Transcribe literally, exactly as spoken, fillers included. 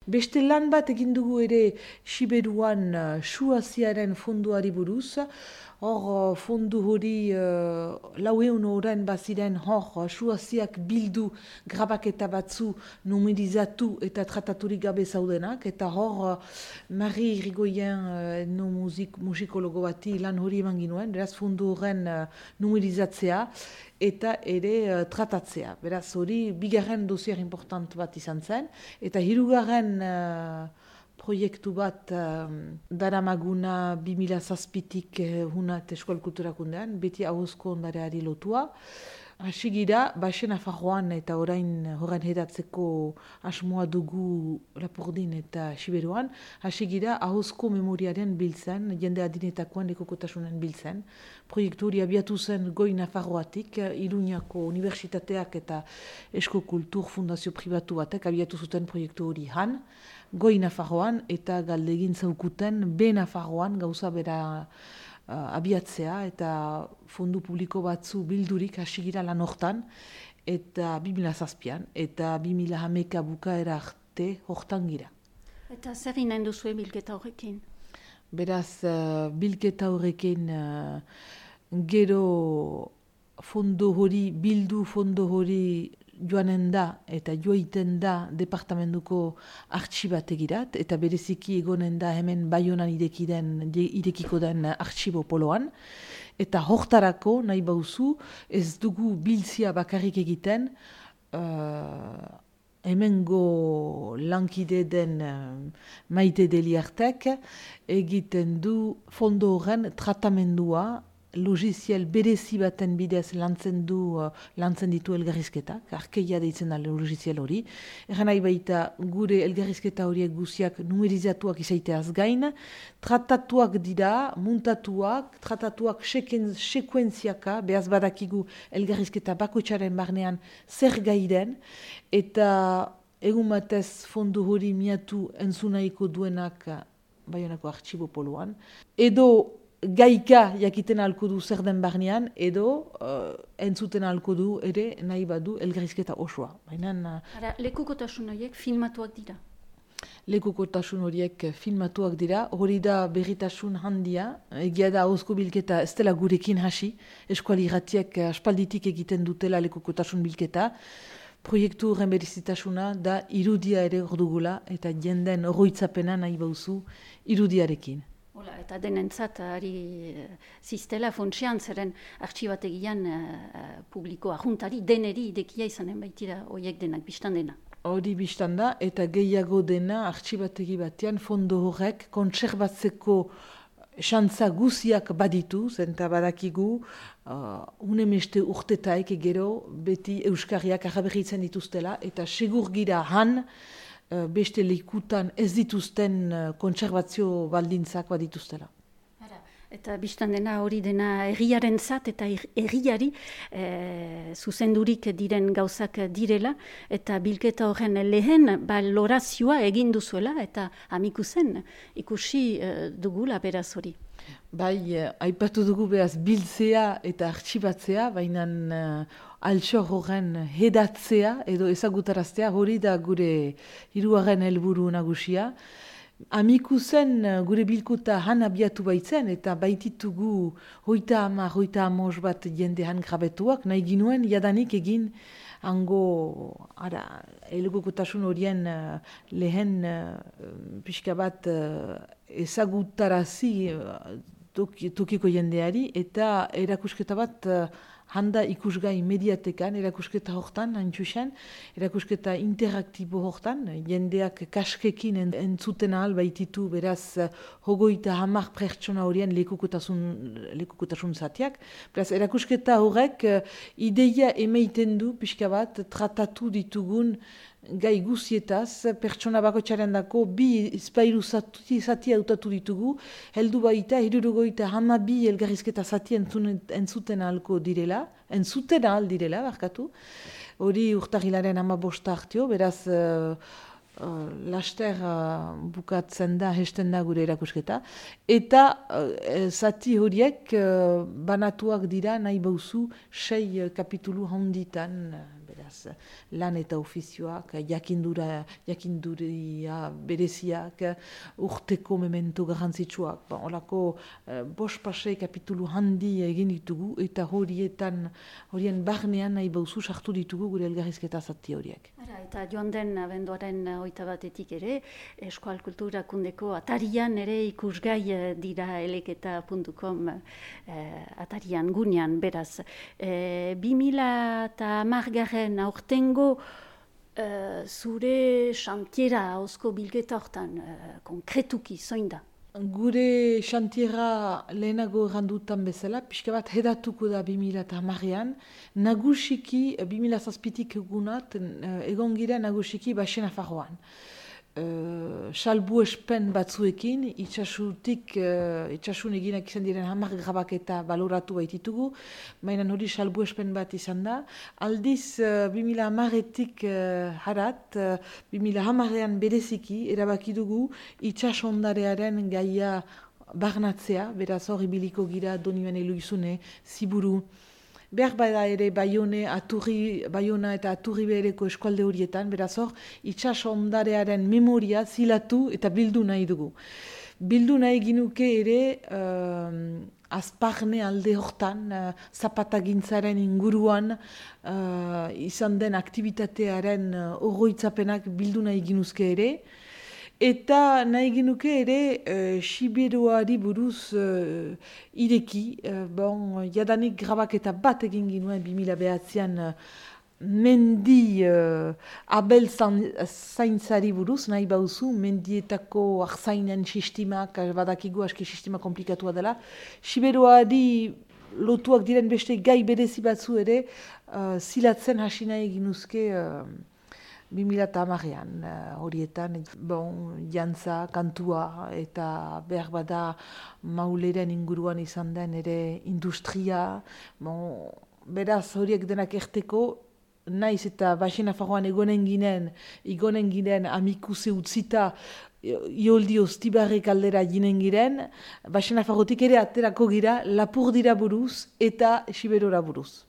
Beste lan bat egin dugu ere Siberuan uh, Suaziaren fonduari buruz. Hor, uh, fondu hori uh, laueun horren baziren hor uh, Suaziak bildu grabaketa batzu numerizatu eta trataturik gabe zaudenak. Eta hor, uh, Marie Irigoyen uh, no musik, musikologo bati lan hori eman ginuen, beraz fondu horren uh, numerizatzea eta ere uh, tratatzea. Beraz hori bigarren dosier important bat izan zen. Eta hirugarren uh, proiektu bat um, daramaguna bi mila zazpitik uh, hunat eskual kulturakundean, beti ahozko ondareari lotua. Hasi gira, Baixen Nafarroan eta orain horren hedatzeko asmoa dugu Lapurdin eta Siberuan, hasi gira ahozko memoriaren biltzen, jende adinetakoan lekokotasunen biltzen. Proiektu hori abiatu zen Goi Nafarroatik, Iruñako Unibertsitateak eta Esko Kultur Fundazio Pribatu batek abiatu zuten proiektu hori han, Goi Nafarroan eta galdegin zaukuten B Nafarroan gauza bera Uh, abiatzea eta fondu publiko batzu bildurik hasi gira lan hortan eta bi mila zazpian eta bi mila hameka bukaera arte hortan gira. Eta zer inen duzue bilketa horrekin? Beraz, uh, bilketa horrekin uh, gero fondo hori, bildu fondo hori joanen da eta joiten da departamentuko artxibategirat eta bereziki egonen da hemen Baionan irekiden, irekiko den artxibo poloan. Eta hortarako nahi bauzu ez dugu biltzia bakarrik egiten uh, hemengo lankide den uh, Maite Deliartek egiten du fondo horren tratamendua logiziel berezi baten bidez lantzen du, uh, lantzen ditu elgarrizketak, arkeia deitzen da logiziel hori. Egan nahi baita gure elgarrizketa horiek guziak numerizatuak izaiteaz gain, tratatuak dira, muntatuak, tratatuak seken, sekuentziaka, behaz badakigu elgarrizketa bakoitzaren barnean zer gaiden, eta egun batez fondu hori miatu entzunaiko duenak Baionako artxibo poloan, edo gaika jakiten ahalko du zer den barnean, edo uh, entzuten ahalko du ere nahi badu elgarrizketa osoa. Baina, Ara, lekukotasun horiek filmatuak dira? Lekukotasun horiek filmatuak dira, hori da berritasun handia, egia da ahozko bilketa ez dela gurekin hasi, eskuali irratiek aspalditik egiten dutela lekukotasun bilketa, proiektu horren berezitasuna da irudia ere ordugula eta jenden oroitzapena nahi bauzu irudiarekin. Hola, eta denentzat ari ziztela fontsian zeren artxibategian uh, publikoa juntari deneri idekia izanen baitira horiek denak biztan dena. Hori biztan da eta gehiago dena artxibategi batean fondo horrek kontserbatzeko xantza guziak baditu, zenta badakigu uh, unemeste urtetaik gero beti euskarriak araberritzen dituztela eta segur gira han beste lekutan ez dituzten kontserbazio baldintzak badituztela. Eta biztan dena hori dena erriaren zat eta erriari e, zuzendurik diren gauzak direla eta bilketa horren lehen balorazioa egin duzuela eta amiku zen ikusi e, dugula beraz hori. Bai, aipatu dugu behaz biltzea eta artxibatzea, baina uh, altxor horren hedatzea edo ezagutaraztea hori da gure hirugarren helburu nagusia. Amiku zen gure bilkuta han abiatu baitzen eta baititugu hoita ama, hoita amos bat jende han grabetuak, nahi ginuen jadanik egin hango, ara, elegokotasun horien uh, lehen uh, pixka bat uh, ezagutarazi uh, tokiko jendeari eta erakusketa bat uh, handa ikusgai mediatekan, erakusketa hortan, antxusen, erakusketa interaktibo hortan, jendeak kaskekin entzuten ahal baititu beraz hogoita hamar pertsona horien lekukotasun, lekukotasun zatiak. Beraz, erakusketa horrek ideia emeiten du, pixka bat, tratatu ditugun gai guzietaz, pertsona bakoitzaren dako bi izpailu zati, zati autatu ditugu, heldu baita, hirurogoita hama bi elgarrizketa zati entzuten ahalko direla, entzuten ahal direla, barkatu. Hori urtahilaren hama bosta hartio, beraz uh, uh, laster uh, bukatzen da, hesten da gure erakusketa. Eta uh, zati horiek uh, banatuak dira nahi bauzu sei uh, kapitulu handitan, uh, beraz, lan eta ofizioak, jakindura, jakinduria bereziak, urteko memento garrantzitsuak. Ba, olako eh, bost pasei kapitulu handi egin ditugu, eta horietan, horien barnean nahi bauzu sartu ditugu gure elgarrizketa zati horiek. Ara, eta joan den abenduaren hogeita batetik ere, Euskal Kultura Kundeko atarian ere ikusgai dira eleketa puntu com eh, atarian gunean, beraz. Eh, bi mila eta hamargarren aurtengo eh, zure xantiera hauzko bilketa hortan, eh, konkretuki, zoin da? Gure xantiera lehenago errandutan bezala, pixka bat hedatuko da bi mila eta hamarrean, nagusiki bi mila zazpitik egunat, egon gira nagusiki Baixen Nafarroan. Uh, salbu espen batzuekin, itxasutik, uh, itxasun eginak izan diren hamar grabaketa baloratu baititugu, mainan hori salbu espen bat izan da. Aldiz, uh, bi mila hamaretik uh, harat, uh, bi mila hamarrean bereziki, erabaki dugu itxasondarearen gaia barnatzea, beraz hori biliko gira Donibane Eloizune, Ziburu, behar bada ere Baione, Aturri, Baiona eta Aturri behereko eskualde horietan, beraz hor, itxaso ondarearen memoria zilatu eta bildu nahi dugu. Bildu nahi ginuke ere uh, azparne alde hortan, uh, zapatagintzaren inguruan uh, izan den aktivitatearen uh, oroitzapenak bildu nahi ginuzke ere, eta nahi genuke ere uh, Siberuari buruz uh, ireki, uh, bon, jadanik grabaketa bat egin ginuen bi mila behatzean uh, mendi uh, abel zaintzari buruz, nahi bauzu, mendietako arzainen sistemak, badakigu aski sistema komplikatua dela. Siberuari lotuak diren beste gai berezi batzu ere, uh, zilatzen hasi nahi ginuzke uh, bi mila eta hamarrean, uh, horietan, bon, jantza, kantua, eta behar bada mauleren inguruan izan den ere industria, bon, beraz horiek denak erteko, naiz eta Baixen Nafarroan egonen ginen, egonen ginen amikuse utzita, ioldi ostibarrek aldera ginen giren, Baixen Nafarrotik ere aterako gira Lapurdira buruz eta Siberora buruz.